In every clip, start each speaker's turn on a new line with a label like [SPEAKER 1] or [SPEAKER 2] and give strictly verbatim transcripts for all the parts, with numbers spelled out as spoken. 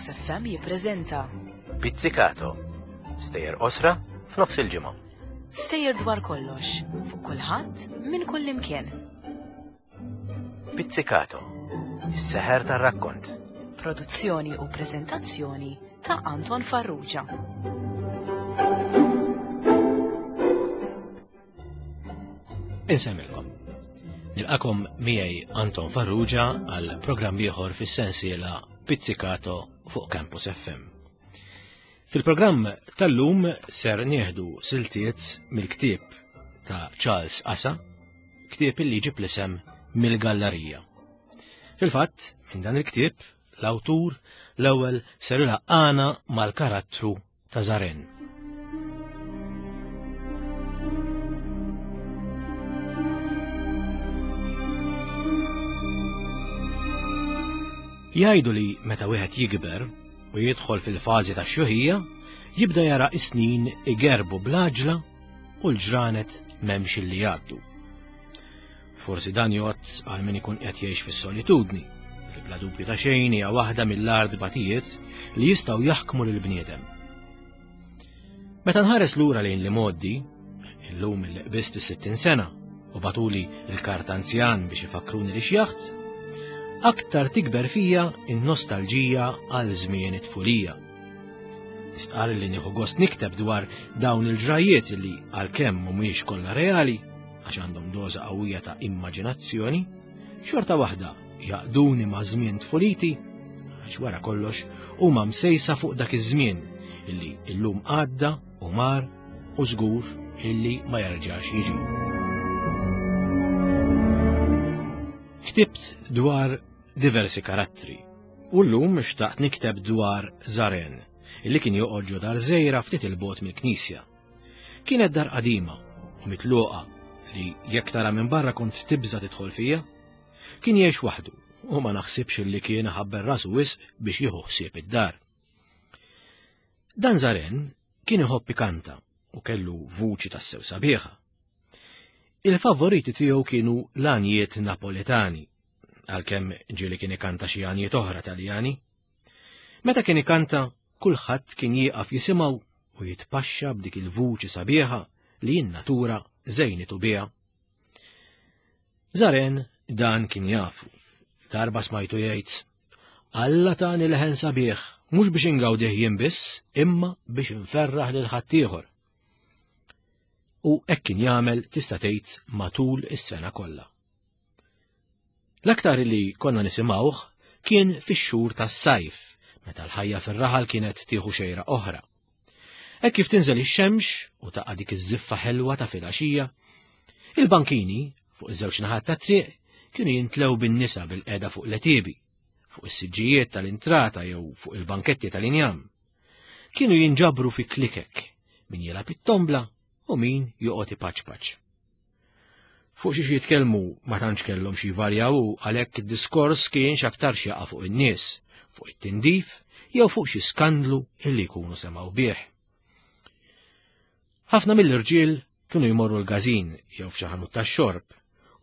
[SPEAKER 1] Campus F M jippreżenta
[SPEAKER 2] Pizzicato. Stejjer qosra f'nofs il-ġimgħa.
[SPEAKER 1] Stejjer dwar kollox, fuq kulħadd, minn kull imkien.
[SPEAKER 2] Pizzicato. Is-seħer tar-rakkont.
[SPEAKER 1] Produzzjoni u preżentazzjoni ta' Anton Farrugia.
[SPEAKER 2] Insemmilkom. Nilqakom miegħi Anton Farrugia għal programm ieħor fis-sensiela Pizzicato fuq Campus F M. Fil-programm tal-lum ser nieħdu siltiet mill-ktieb ta' Charles Asa, ktieb illi ġib l-isem Mill-Gallarija. Fil-fatt, minn dan il-ktieb, l-awtur l-ewwel ser ilaqqana mal-karattru ta' Zaren. Jgħidu li meta wieħed jikber u jidħol fil-fażi tax-xjuħija, jibda jara is-snin igerbu bl-għaġla u l-ġranet m'hemmx illi jgħaddu. Forsi dan jgħodd għal min ikun qed jgħix fis-solitudni, li bla dubju ta' xejn hija waħda mill-art batijiet li jistgħu jaħkmu lil bniedem. Meta nħares lura lejn li moddi, illum il qbist is-sittin sena u batuli l-karta anzjan biex ifakruni li xjaħt, aktar tikber fija in-nostalġija għal żmien it-tfulija. Nistqarr li nieħu gost nikteb dwar dawn il-ġrajiet li għalkemm mhumiex kollha reali, għax għandhom doża qawwija ta' immaġinazzjoni, xorta waħda jaqduni ma' żmien tfuliti, għax wara kollox huma msejsa fuq dak iż-żmien illi illum għadda u mar u żgur illi ma jerġax jiġi. Ktibt dwar diversi karattri u llum xtaqt nikteb dwar Zaren, illi kien joqgħod ġo dar żgħira ftit il-bogħod mill-knisja. Kienet dar qadima u mitluqa li jekk tara minn barra kont tibża' tidħol fija. Kien jgħix waħdu u ma naħsibx li kien ħabber rasu wisq biex jieħu ħsieb id-dar. Dan Zaren kien iħobb ikanta u kellu vuċi tassew sabiħa. Il-favoriti tiegħu kienu l-għanjiet Napoletani, għalkemm ġieli kien ikanta xi għanjiet oħra Taljani. Meta kien ikanta, kulħadd kien jieqaf jisimgħu u jitpaxxa b'dik il-vuċi sabiħa li n-natura żejnitu biha. Zaren dan kien jafu. Darba smajtu jgħid, Alla tani leħen sabiħ, mhux biex ingawdih jien biss, imma biex inferraħ lil ħaddieħor. U hekk kien jagħmel tista' tgħid matul is-sena kollha. L-aktar li konna nisimgħuh kien fix-xhur tas-sajf, meta l-ħajja fir-raħal kienet tieħu xejra oħra. Hekk kif tinżel ix-xemx u taqa' dik iż-żiffa ħelwa ta' filgħaxija, il-bankini fuq iż-żewġ naħat tat-triq kienu jintlew bin-nisa bil-qeda fuq l-għetiebi, fuq is-siġġijiet tal-intrata jew fuq il-banketti tal-injam. Kienu jinġabru fi klikek, min jilgħab it-tombla u min joqgħod ipaċpaċ. Fuq xi jitkellmu ma tantx kellhom xi jvarjaw u għalhekk id-diskors kien x'aktar x'jaqa' fuq in-nies, fuq it-tindif jew fuq xi skandlu illi jkunu semgħu bih. Ħafna mill-irġiel kienu jmorru l-każin jew f'xi ħanut tax-xorb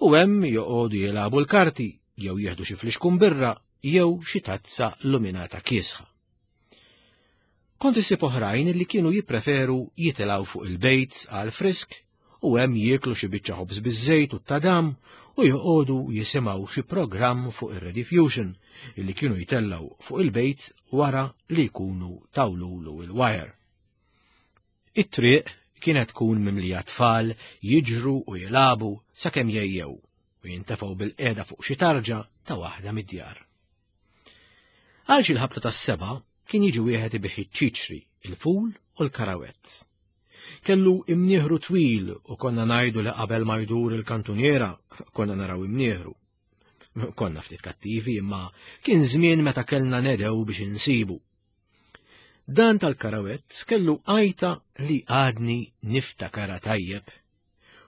[SPEAKER 2] u hemm joqogħdu jilagħbu l-karti jew jieħdu xi flixkun birra jew xi tazza luminata kiesħa. Kont issib oħrajn li kienu jippreferu jitilgħu fuq il-bejt għal frisk u hemm jieklu xi biċċa ħobż biż-żejt u t-tadam u joqogħdu jisimgħu xi programm fuq ir-Rediffusion illi kienu jtellgħu fuq il-bejt wara li jkunu tawlulu il-wire. It-triq kienet tkun mimlija tfal jiġru u jilagħbu sakemm jgħejjew u jintefgħu bil-qiegħda fuq xi tarġa ta' waħda mid-djar. Għal xi l-ħabta tas-seba' kien jiġi wieħed ibih iċ-ċiċri, il-ful u l-karawett. Kellu imnieħru twil u konna ngħidu li qabel ma jdur il-kantuniera konna naraw imnieħru. Konna ftit kattivi imma kien żmien meta kellna nedew biex insibu. Dan tal-karawett kellu għajta li għadni niftakara tajjeb.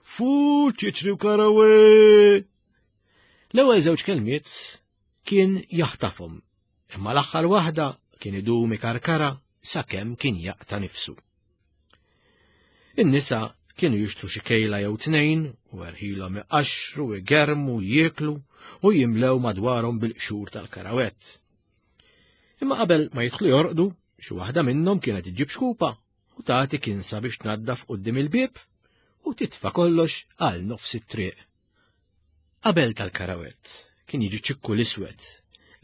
[SPEAKER 2] Ful ċiċri u karawett! L-ewwel żewġ kelmiet kien jaħtafhom, imma l-aħħar waħda kien idum ikarkara sakemm kien jaqta' nifsu. In-nisa kienu jixtru xi kejla jew tnejn u erħilhom iqaxxru, igermu, jieklu u jimlew madwarhom bil-qxur tal-karawett. Imma qabel ma jidħlu jorqdu, xi waħda minnhom kienet iġġib xkupa u tagħti kinsa biex tnaddaf quddiem il-bieb u titfa' kollox għal nofs it-triq. Qabel tal-karawett kien jiġi Ċikku l-Iswed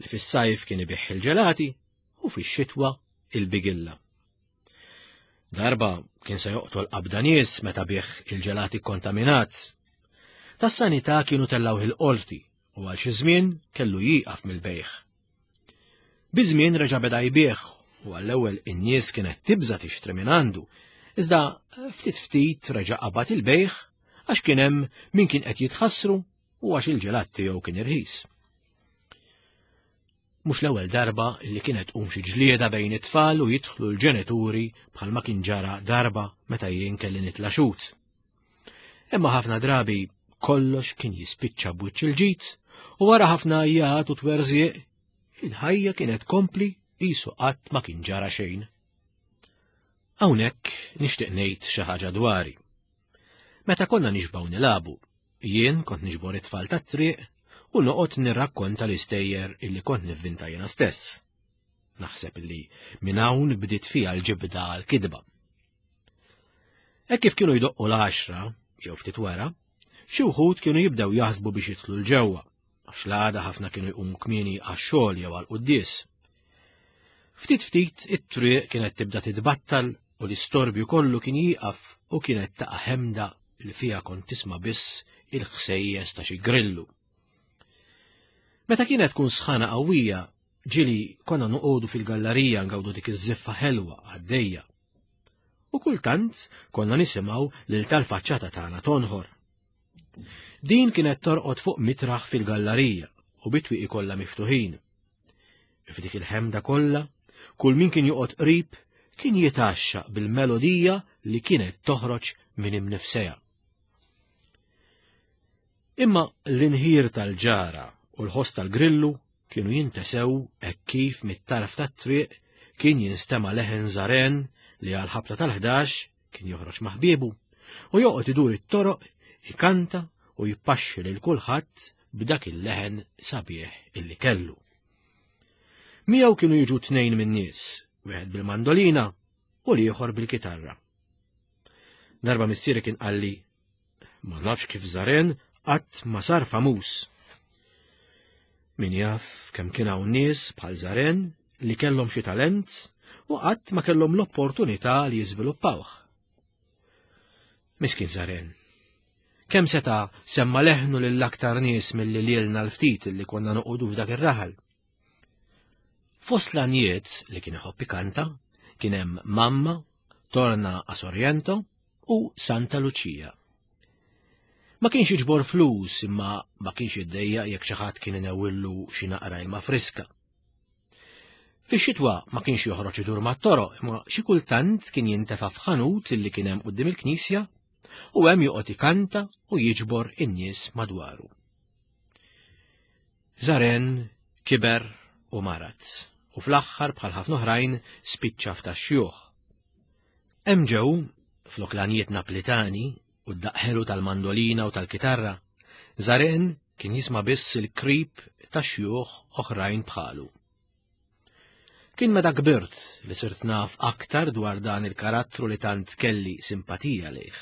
[SPEAKER 2] li fis-sajf kien ibigħ il-ġelati u fix-xitwa il-bigilla. Darba kien se joqtol qabda nies meta biegħ il-ġelati kontaminat. Tas-sanità kienu tellgħuh il-qorti u għal xi żmien kellu jieqaf mill-bejgħ. Biż-żmien reġa' beda jbigħ u għall-ewwel in-nies kienet tibża' tixtri minn għandu, iżda ftit ftit reġa' qabad il-bejgħ għax kien hemm min kien qed jitħassru u għax il-ġelat tiegħu kien irħis. Mhux l-ewwel darba li kienet tqum xi ġlieda bejn it-tfal u jidħlu l-ġenituri bħalma kien ġara darba meta jien kelli nitla' xhud. Imma ħafna drabi kollox kien jispiċċa b'wiċċ il-ġid u wara ħafna għajjat u twerżieq il-ħajja kienet tkompli qisu qatt ma kien ġara xejn. Hawnhekk nixtieq ngħid xi ħaġa dwari. Meta konna nixbgħu nilagħbu, jien kont niġbor it-tfal tat-triq u noqgħod nirrakkonta l-istejjer illi kont nivvinta jiena stess. Naħseb illi minn hawn bdiet fija l-ġibda għal-kidba. Hekk kif kienu jdoqqu l-għaxra, jew ftit wara, xi wħud kienu jibdew jaħsbu biex jidħlu 'l ġewwa, għax l-għada ħafna kienu jqumu kmieni għax-xogħol jew għall-quddies. Ftit ftit it-triq kienet tibda titbattal u l-istorbju kollu kien jieqaf u kienet taqa' ħemda li fiha kont tisma' biss il-ħsejjes ta' xi grillu. Meta kienet tkun sħana qawwija, ġieli konna noqogħdu fil-gallerija ngawdu dik iż-żiffa ħelwa għaddejja. U kultant konna nisimgħu lil tal-faċċata tagħna tonħor. Din kienet torqod fuq mitraħ fil-gallerija u bit-twieqi kollha miftuħin. F'dik il-ħemda kollha, kull min kien joqgħod qrib kien jitgħaxxaq bil-melodija li kienet toħroġ minn imnifsejha. Imma l-inħir tal-ġara u l-ħoss tal-grillu kienu jintesew hekk kif mit-tarf tat-triq kien jinstema' leħen Żaren li għal ħabta tal-ħdax kien joħroġ ma' ħbiebu u joqgħod idur it-toroq ikanta u jpaxxi lil kulħadd b'dak il-leħen sabiħ illi kellu. Miegħu kienu jiġu tnejn min-nies, wieħed bil-mandolina u l-ieħor bil-kitarra. Darba missieri kien qalli, ma nafx kif Żaren qatt ma sar famuż. Min jaf kemm kien hawn nies bħal Żaren li kellhom xi talent u qatt ma kellhom l-opportunità li jiżviluppawh. Miskin Żaren. Kemm seta' semma leħnu lil aktar nies milli lilna l-ftit li konna noqogħdu f'dak ir-raħal. Fost l-għanjiet li kien iħobb ikanta kien hemm Mamma, Torna a Sorrento u Santa Lucia. Ma kienx jiġbor flus imma ma kienx jiddejjaq jekk xi ħadd kien inewwillu xi naqra ilma friska. Fix-xitwa ma kienx joħroġ idur mat-toroq imma xi kultant kien jintefa' f'ħanut illi kien hemm quddiem il-knisja u hemm joqgħod ikanta u jiġbor in-nies madwaru. Żaren kiber u marad u fl-aħħar bħal ħafna oħrajn spiċċa f'tax-xjuħ. Hemm ġew flok l-għanjiet Naplitani u d-daqq ħelu tal-mandolina u tal-kitarra, Żaren kien jisma' biss il-krib ta' xjuħ oħrajn bħalu. Kien meta kbirt li sirt naf aktar dwar dan il-karattru li tant kelli simpatija lejh.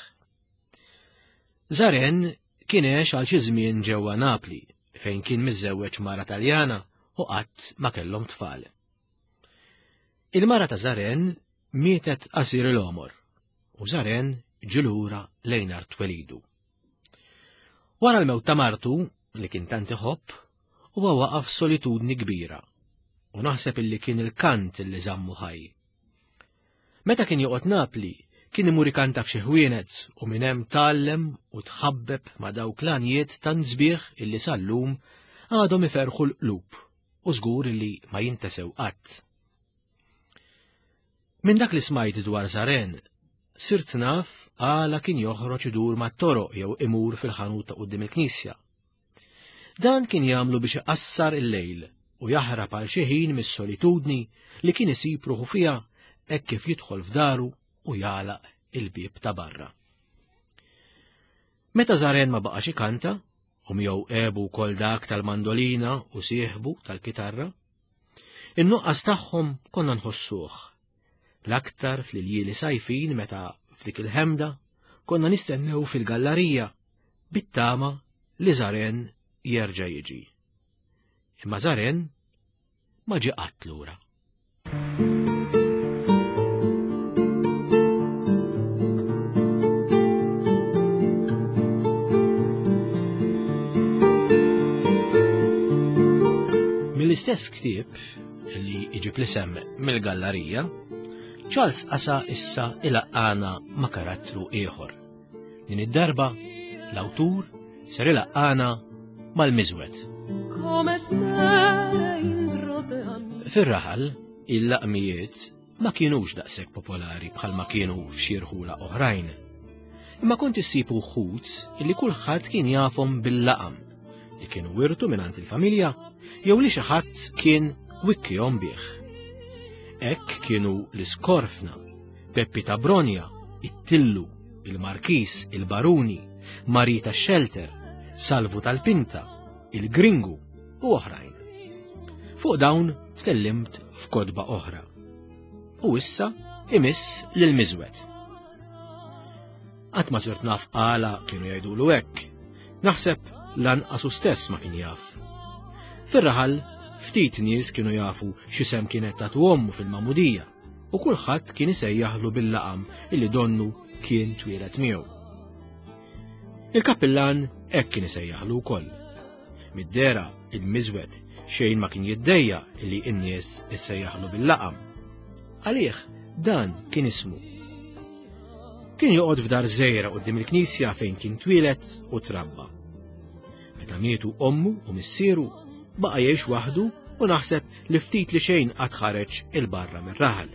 [SPEAKER 2] Żaren kien għex għal xi żmien ġewwa Napli fejn kien miżżewweġ mara Taljana u qatt ma kellhom tfal. Il-mara ta' Żaren mietet qasir il-għomor u Żaren ġie lura lejn art twelidu. Wara l-mewt ta' martu, li kien tant iħobb, huwa waqaf solitudni kbira u naħseb illi kien il-kant illi żammu ħaj. Meta kien joqgħod Napli, kien imur ikanta f'xi ħwienet u minn hemm tgħallem u tħabbeb ma' dawk l-għanjiet tant sbieħ illi sal-lum għadhom iferħu l-qlub u żgur illi ma jintesew qatt. Minn dak li smajt dwar Żaren, sirt naf għala kien joħroġ idur mat-toroq jew imur fil-ħanut ta' quddiem il-knisja. Dan kien jagħmlu biex iqassar il-lejl u jaħrab għal xi ħin mis-solitudni li kien isib ruħu fiha hekk kif jidħol f'daru u jagħlaq il-bieb ta' barra. Meta Żaren ma baqax ikanta, u miegħu għebu wkoll dak tal-mandolina u sieħbu tal-kitarra, In-nuqqas tagħhom konna nħossuh. L-aktar fl-iljieli sajfin meta f'dik il-ħemda konna nistennew fil-gallarija bit-tama li Żaren jerġa' jiġi. Imma Żaren ma ġie qatt lura. Mill-istess ktieb li iġib l-isem mill-gallarija, Charles Asa issa ilaqqana ma' karattru ieħor. Din id-darba l-awtur ser ilaqqana mal-miżwed. Fir-raħal, il-laqmijiet ma kienux daqshekk popolari bħalma kienu f'xi rħula oħrajn. Imma kont issib uħud illi kulħadd kien jafhom bil-laqam li kienu wirtu mingħand il-familja jew li xi ħadd kien wikkihom bih. Hekk kienu l-Iskorfna, Peppi ta' Bronja, it-Tillu, il-Markis, il-Baruni, Marita Shelter, Salvu tal-Pinta, il-Gringu u oħrajn. Fuq dawn tkellimt f'kotba oħra. U issa imiss lil-miżwed. Qatt ma sirt naf għala kienu jgħidulu hekk. Naħseb lanqas hu stess ma kien jaf. Fir-raħal ftit nies kienu jafu x'isem kienet tagħtu ommu fil-magħmudija u kulħadd kien isejjaħlu bil-laqam illi donnu kien twieled miegħu. Il-kappillan hekk kien isejjaħlu wkoll. Mid-dera il-miżwed xejn ma kien jiddejja illi n-nies issejjaħlu bil-laqam. Għalih dan kien ismu. Kien joqgħod f'dar żgħira quddiem il-knisja fejn kien twieled u trabba. Meta mietu ommu u missieru baqa' jgħix waħdu u naħseb li ftit li xejn qatt ħareġ il-barra mir-raħal.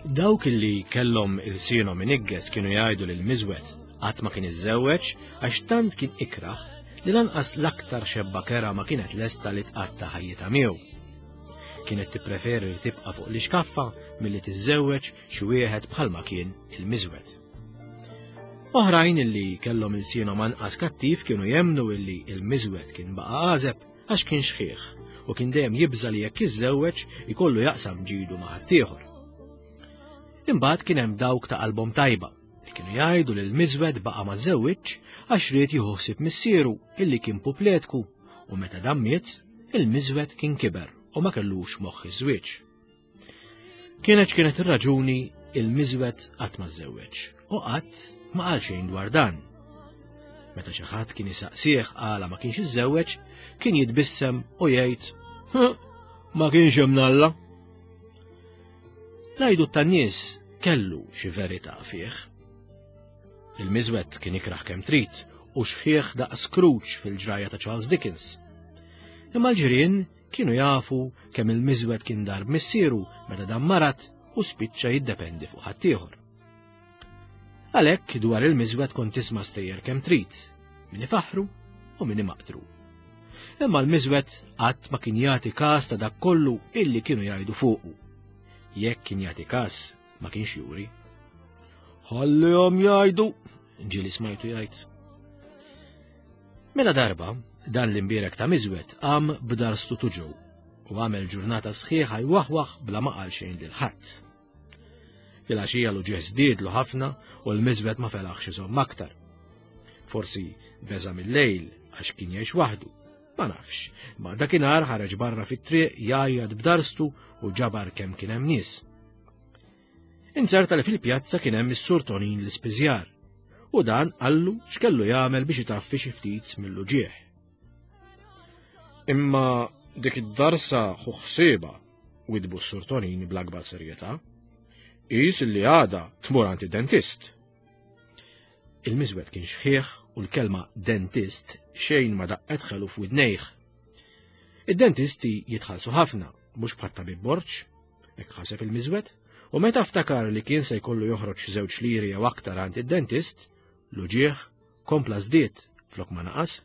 [SPEAKER 2] Dawk illi kellhom ilsienhom inigges kienu jgħidu lil miżwed qatt ma kien iżżewweġ għax tant kien ikraħ li lanqas l-aktar xebba kera ma kienet lesta li tqatta' ħajjitha miegħu. Kienet tippreferi li tibqa' fuq l-ixkaffa milli tiżżewweġ xi wieħed bħalma kien il-miżwed. Oħrajn illi kellhom ilsienhom anqas kattiv kienu jemmnu illi il-miżwed kien baqa' għażeb għax kien xħiħ u kien dejjem jibża' li jekk jiżżewweġ ikollu jaqsam ġidu ma' ħaddieħor. Imbagħad kien hemm dawk ta' qalbhom tajba li kienu jgħidu li l-miżwed baqa' ma żewwiġx għax ried jieħu ħsieb missieru illi kien pupletku u meta dan miet il-miżwed kien kiber u ma kellux moħħ iż-żwieġ. Kienet x'kienet ir-raġuni il-miżwed qatt ma żżewweġ u qatt ma qal xejn dwar dan. Meta xi ħadd kien isaqsih għala ma kienx iżżewweġ, kien jitbissem u jgħid ma kienx hemm Alla. L-għidu tan-nies kellu xi verità fih. Il-miżwed kien ikraħ kemm trid u xħieħ daqs Scrooge fil-ġrajja ta' Charles Dickens. Imma l-ġirien kienu jafu kemm il-miżwed kien darb missieru meta dan marat u spiċċa jiddependi fuq ħaddieħor. Għalhekk dwar il-miżwed kont tisma' stejjer kemm trid, min ifaħħru u min imaqtru. Imma l-miżwed qatt ma kien jagħti każ ta' dak kollu illi kienu jgħidu fuqu. Jekk kien jagħti każ ma kienx juri. Ħallihom jgħidu, ġieli smajtu jgħid. Mela darba, dan l-imbierek ta' miżwed qam b'darstu tuġu u għamel ġurnata sħiħa jwaħwaħ bla ma qal xejn lil ħadd. Filgħaxija l-uġigħ żdiedlu ħafna u l-miżwed ma felaħx iżomm aktar. Forsi beża' mill-lejl għax kien jgħix waħdu, ma nafx, ma dakinhar ħareġ barra fit-triq jgħajjat b'darstu u ġabar kemm kien hemm nies. Inzerta li fil-pjazza kien hemm is-Sur Tonin l-Ispiżjar u dan qallu x'kellu jagħmel biex itaffi xi ftit mill-uġigħ. Imma dik id-darsa ħu ħsiebha, widbu s-Sur Tonin bl-akbar serjetà. Qis li għada tmur għand id-dentist. Il-miżwed kien xħieħ u l-kelma dentist xejn ma daqqet ħelu f'widnejh. Id-dentisti jitħallsu ħafna, mhux bħat tabib Borġ, hekk ħaseb il-miżwed, u meta ftakar li kien se jkollu joħroġ żewġ liri jew aktar għand id-dentist, l-uġigħ kompla żdied flok ma naqas.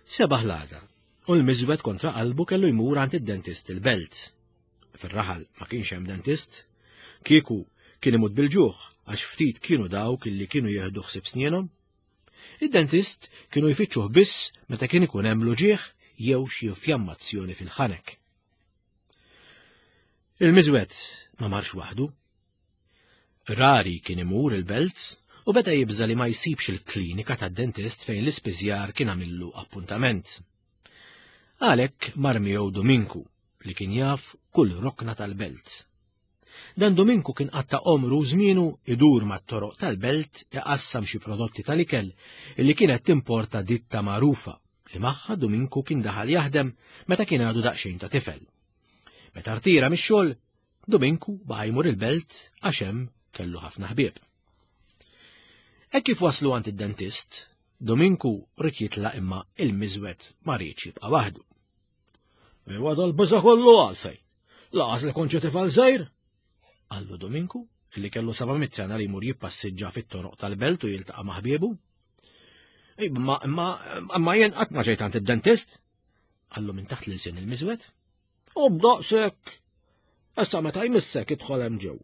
[SPEAKER 2] Sebaħ l-għada, u l-miżwed kontra qalbu kellu jmur għand id-dentist il-belt. Fir-raħal ma kienx hemm dentist, kieku kien imut bil-ġuħ għax ftit kienu dawk illi kienu jieħdu ħsieb snienhom. Id-dentist kienu jfittxuh biss meta kien ikun hemm l-uġigħ jew xi infjammazzjoni fil-ħanek. Il-miżwed ma marx waħdu. Rari kien imur il-belt u beda jibża li ma jsibx il-klinika tad-dentist fejn l-ispiżjar kien għamillu appuntament. Għalhekk mar miegħu Dominku li kien jaf kull rokna tal-belt. Dan Dominku kien qatta omru żmienu idur mat-toroq tal-belt iqassam xi prodotti tal-ikel li kienet timporta ditta magħrufa li magħha Dominku kien daħal jaħdem meta kien għadu daqsxejn ta' tifel. Meta rtira mix-xogħol, Dominku baqa' jmur il-belt għax hemm kellu ħafna ħbieb. Hekk kif waslu għand id-dentist, Dominku ried jitlaq imma il-miżwed ma riedx jibqa' waħdu.
[SPEAKER 3] Iwa dal-biża' kollu għalfejn. Laqas li kont xi tifel żgħir?
[SPEAKER 2] Qallu Dominku, li kellu seba' mitt sena li jmur jippassiġġa fit-toroq tal-belt u jiltaqa' ma' ħbiebu.
[SPEAKER 3] Imma imma imma jien qatt ma ġejt għand id-dentist?
[SPEAKER 2] Qallu minn taħt l-ilsien il-miżwed.
[SPEAKER 3] U b'daqshekk. Issa meta jmissek idħol hemm ġew.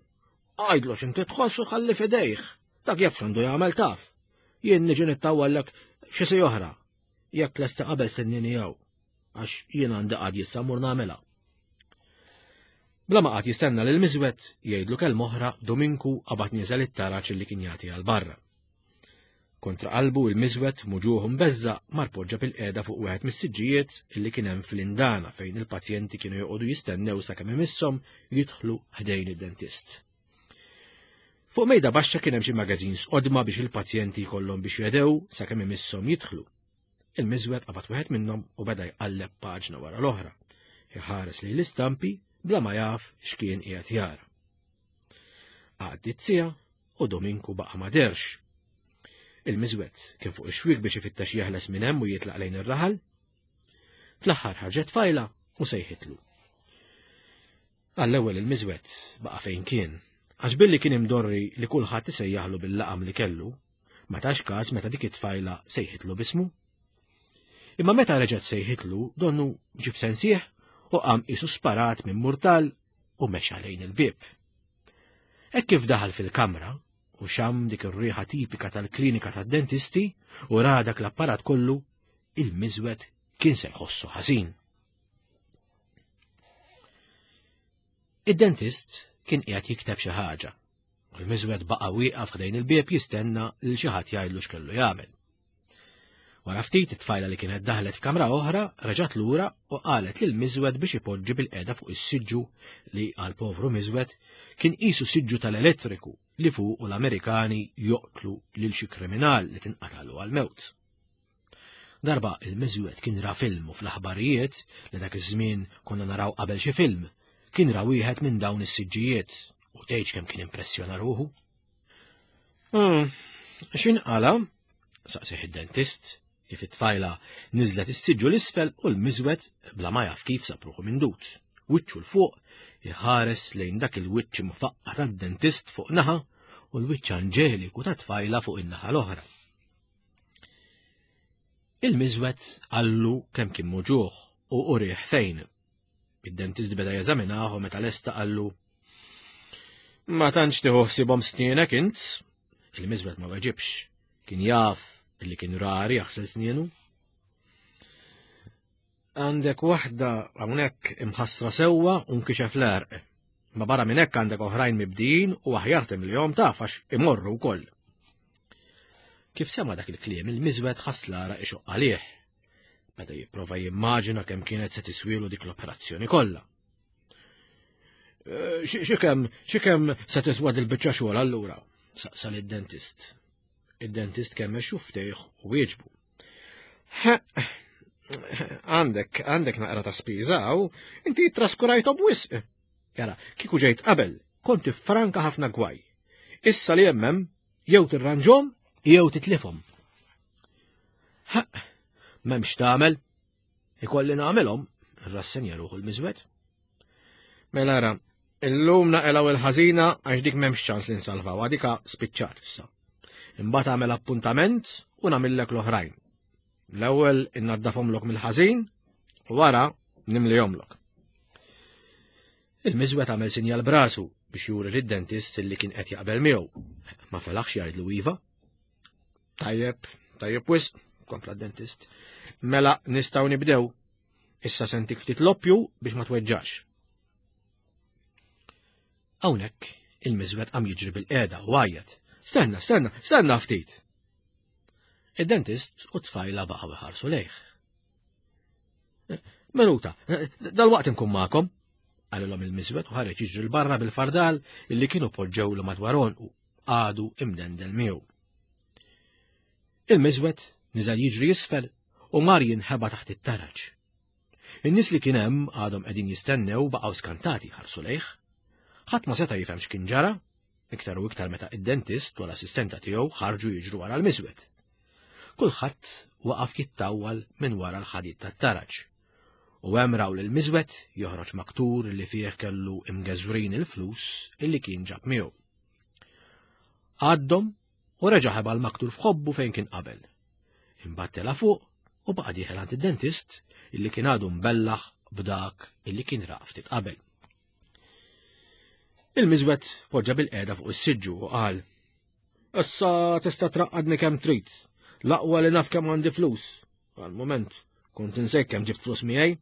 [SPEAKER 3] Għidlu x'inti tħoss u ħalli f'idejh. Dak jaf x'għandu jagħmel taf. Jien niġi nittawwallek f'xi siegħa oħra. Jekk tlesti qabel stennini hawn.
[SPEAKER 2] Għax jien għandi qadi issa mmur nagħmilha. Bla ma qagħad jistenna lil miżwed jgħidlu kelma oħra, Dominku qabad nieżel it-taraġ li kien jagħti għal barra. Kontra qalbu il-miżwed muġuħ mbeżża' mar poġġa bil-qiegħda fuq wieħed mis-siġġijiet illi kien hemm fl-indana fejn il-pazjenti kienu joqogħdu jistennew sakemm imisshom jidħlu ħdejn id-dentist. Fuq mejda baxxa kien hemm xi magazines qodma biex il-pazjenti jkollhom biex jedew sakemm imisshom jidħlu. Il-miżwed qabad wieħed minnhom u beda jqalleb paġna wara l-oħra, iħares lejn l-istampi bla ma jaf x'kien qiegħed jara. Għaddiet siegħa u Dominku baqa' ma derx. Il-miżwed kien fuq ix-xwiek biex ifittex jeħles minn hemm u jitlaq lejn ir-raħal. Fl-aħħar ħarġet tfajla u sejħitlu. Għall-ewwel il-miżwed baqa' fejn kien, għax billi kien imdorri li kulħadd isejjaħlu bil-laqam li kellu, ma tax każ meta dik it-tfajla sejħitlu bismu. Imma meta reġgħet sejħitlu, donnu ġie f'sensih u qam qisu sparat minn murtal u mexa lejn il-bieb. Hekk kif daħal fil-kamra u xam dik ir-riħa tipika tal-klinika tad-dentisti u ra dak l-apparat kollu, il-miżwed kien se jħossu ħażin. Id-dentist kien qiegħed jikteb xi ħaġa u l-miżwed baqa' wieqaf ħdejn il-bieb jistenna lil xi ħadd jgħidlu x'kellu jagħmel. Wara ftit it-tfajla li kienet daħlet f'kamra oħra reġgħet lura u qalet lil miżwed biex ipoġġi bil-qiegħda fuq is-siġġu li għal povru miżwed kien qisu siġġu tal-elettriku li fuqu l-Amerikani joqtlu lil xi kriminal li tinqatalu għal-mewt. Darba il-miżwed kien ra film u fl-aħbarijiet li dak iż-żmien konna naraw qabel xi film, kien ra wieħed minn dawn is-siġġijiet u tgħidx kemm kien impressjona ruħu.
[SPEAKER 3] Hmm, x'inqala?
[SPEAKER 2] Saqsih id-dentist kif it-tfajla niżlet is-siġġu l-isfel u l-miżwed bla ma jaf kif sab ruħu mindut. Wiċċu 'l fuq iħares lejn dak il-wiċċ mfaqqa tad-dentist fuq naħa u l-wiċċ anġeliku tat-tfajla fuq in-naħa l-oħra. Il-miżwed qallu kemm kien muġuħ u urih fejn. Id-dentist beda jeżaminah u meta lesta qallu:
[SPEAKER 3] Ma tantx tieħu ħsiebhom snienek int?
[SPEAKER 2] Il-miżwed ma weġibx, kien jaf illi kien rari jaħsel snienu.
[SPEAKER 3] Għandek waħda hawnhekk imħassra sewwa u nkixef l-għerq. Ma barra minn hekk għandek oħrajn mibdijin u aħjar timlihom taf għax imorru wkoll.
[SPEAKER 2] Kif sema dak il-kliem il-miżwed ħass l-għaraq ixoqq għalih. Beda jipprova jimmaġina kemm kienet se tiswielu dik l-operazzjoni kollha.
[SPEAKER 3] Xi kemm xi kemm se tiswa dil-biċċa xogħol allura?
[SPEAKER 2] Saqsa lid-dentist. Id-dentist kemm xuftejh u wieġbu.
[SPEAKER 3] Għandek, għandek naqra ta' spiża hawn, inti traskurajthom wisq. Jara, kieku ġejt qabel, kont tifranka ħafna gwaj. Issa li hemm hemm,
[SPEAKER 2] jew tirranġhom jew titlifhom. M'hemmx tagħmel, ikolli nagħmilhom, irrassenja ruħu l-miżwed.
[SPEAKER 3] Mela ara, illum naqelgħu il-ħażina għax dik m'hemmx ċans li nsalvaw, dika spiċċat issa. Imbagħad agħmel appuntament u nagħmillek l-oħrajn. L-ewwel innaddafhomlok mill-ħażin u wara nimlihomlok.
[SPEAKER 2] Il-miżwed għamel sinjal brasu biex juri lid-dentist li kien qed jaqbel miegħu. Ma felaħx jgħidlu iva.
[SPEAKER 3] Tajjeb, tajjeb wisq, kompla d-dentist. Mela nistgħu nibdew. Issa sentik ftit loppju biex ma tweġġax. Hawnhekk il-miżwed qam jiġri bil-qiegħda u għajjat. Stenna, stenna, stenna ftit. Id-dentist u t-tfajla baqgħu iħarsu lejh. Minuta, dal-waqt inkun magħkom, qalilhom il-miżwed u ħareġ jiġri 'l barra bil-fardal illi kienu poġġewlu madwar għonqu għadu imdendel miegħu. Il-miżwed niżel jiġri isfel u mar jinħeba taħt it-taraġ. In-nies li kien hemm għadhom qegħdin jistennew baqgħu skantati ħarsu lejh. Ħadd ma seta' jifhem x'kien ġara, iktar u iktar meta id-dentist u l-assistenta tiegħu ħarġu jiġru wara l-miżwed. Kulħadd waqaf jittawwal minn wara l-ħadid tat-taraġ. U hemm raw lil miżwed joħroġ maktur li fih kellu imgeżwrin il-flus illi kien ġab miegħu. Għaddhom u reġa' ħeba l-maktur f'ħobbu fejn kien qabel. Imbagħad tela' fuq u baqa' dieħel għand id-dentist illi kien għadu mbellaħ b'dak illi kien ra ftit qabel. Il-miżwed poġġa bil-qiegħda fuq is-siġġu u qal: Issa tista' traqqadni kemm trid, l-aqwa li naf kemm għandi flus. Għal-moment, kont insejt kemm ġibt flus miegħi.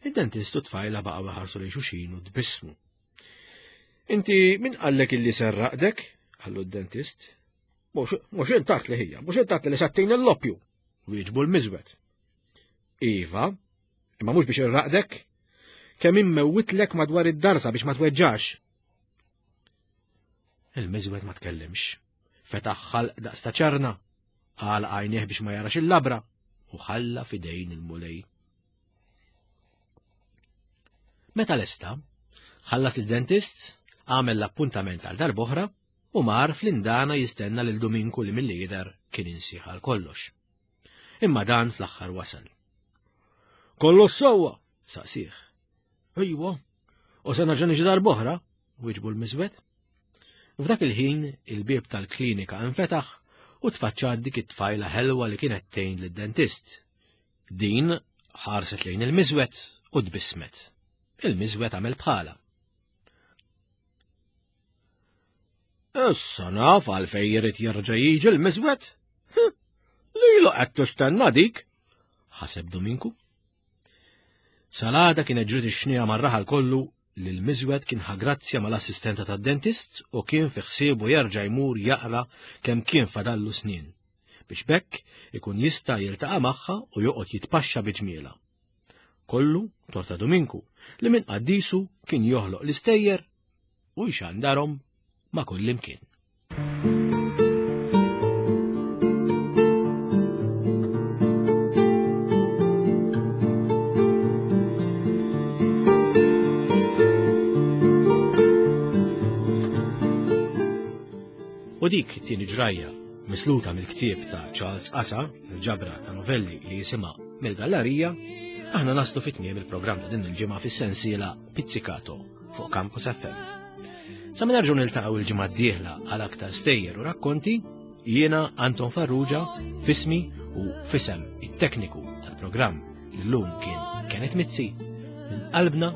[SPEAKER 3] Id-dentist u t-tfajla baqgħu iħarsu lejn xulxin u tbissmu. Inti min qallek illi serraqdek? Qallu d-dentist. Mhux intat li ħija, mhux intat li sattin l-loppju, wieġbu l-miżwed. Iva, imma mhux biex irraqdek, kemm immewwitlek madwar id-darsa biex ma tweġġax. Il-miżwed ma tkellimx. Fetaħ ħalq daqs ta' ċarna, għalaq għajnejh biex ma jarax il-labra u ħalla f'idejn il-Mulej. Meta lesta, ħallas il-dentist, għamel l-appuntament għal darb'oħra u mar fl-indana jistenna lil Duminku li milli jidher kien insieħ għal kollox. Imma dan fl-aħħar wasal. Kollox sewwa, saqsih. Ejwa, u se nerġa' niġi darb'oħra, wieġbu l-miżwed. F'dak il-ħin il-bieb tal-klinika infetaħ u tfaċċat dik it-tfajla ħelwa li kienet tgħin lid-dentist. Din ħarset lejn il-miżwed u tbissmet. Il-miżwed għamel bħala. Issa naf għalfejn jrid jerġa' jiġi l-miżwed. Lilu qed tistenna dik, ħaseb Duminku. Salada kienet ġriet ix-xnija mar-raħal kollu li l-miżwed kien ħa grazzja mal-assistenta tad-dentist u kien fi ħsiebu jerġa' jmur jaqra kemm kien fadallu snin, biex bekk ikun jista' jiltaqa' magħha u joqgħod jitpaxxa bi ġmiela. Kollu torta Duminku li minn qaddisu kien joħloq l-istejjer u jxandarhom ma' kullimkien. U dik tieni ġrajja misluta mill-ktieb ta' Charles Asa, il-ġabra ta' novelli li jisimha Mill-Gallarija, aħna naslu fit-tmiem il-programm ta' din il-ġimgħa fis-sensiela Pizzicato fuq Campus F M. Sa ma nerġgħu niltaqgħu il-ġimgħa d-dieħla għal aktar stejjer u rakkonti, jiena Anton Farrugia fismi u fisem it-tekniku tal-programm li llum kien Kenneth Mizzi, minn qalbna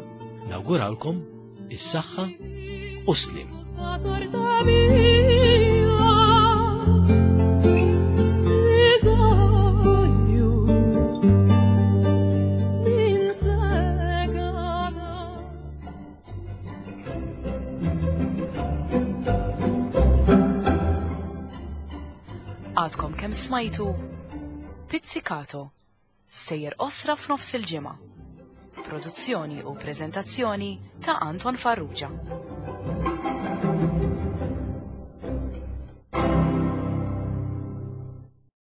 [SPEAKER 3] nawgurawlkom is-saħħa u s-slim.
[SPEAKER 1] Għadkom kemm smajtu Pizzicato, sejjer osra f'nofs il-ġimgħa. Produzzjoni u preżentazzjoni ta' Anton Farrugia.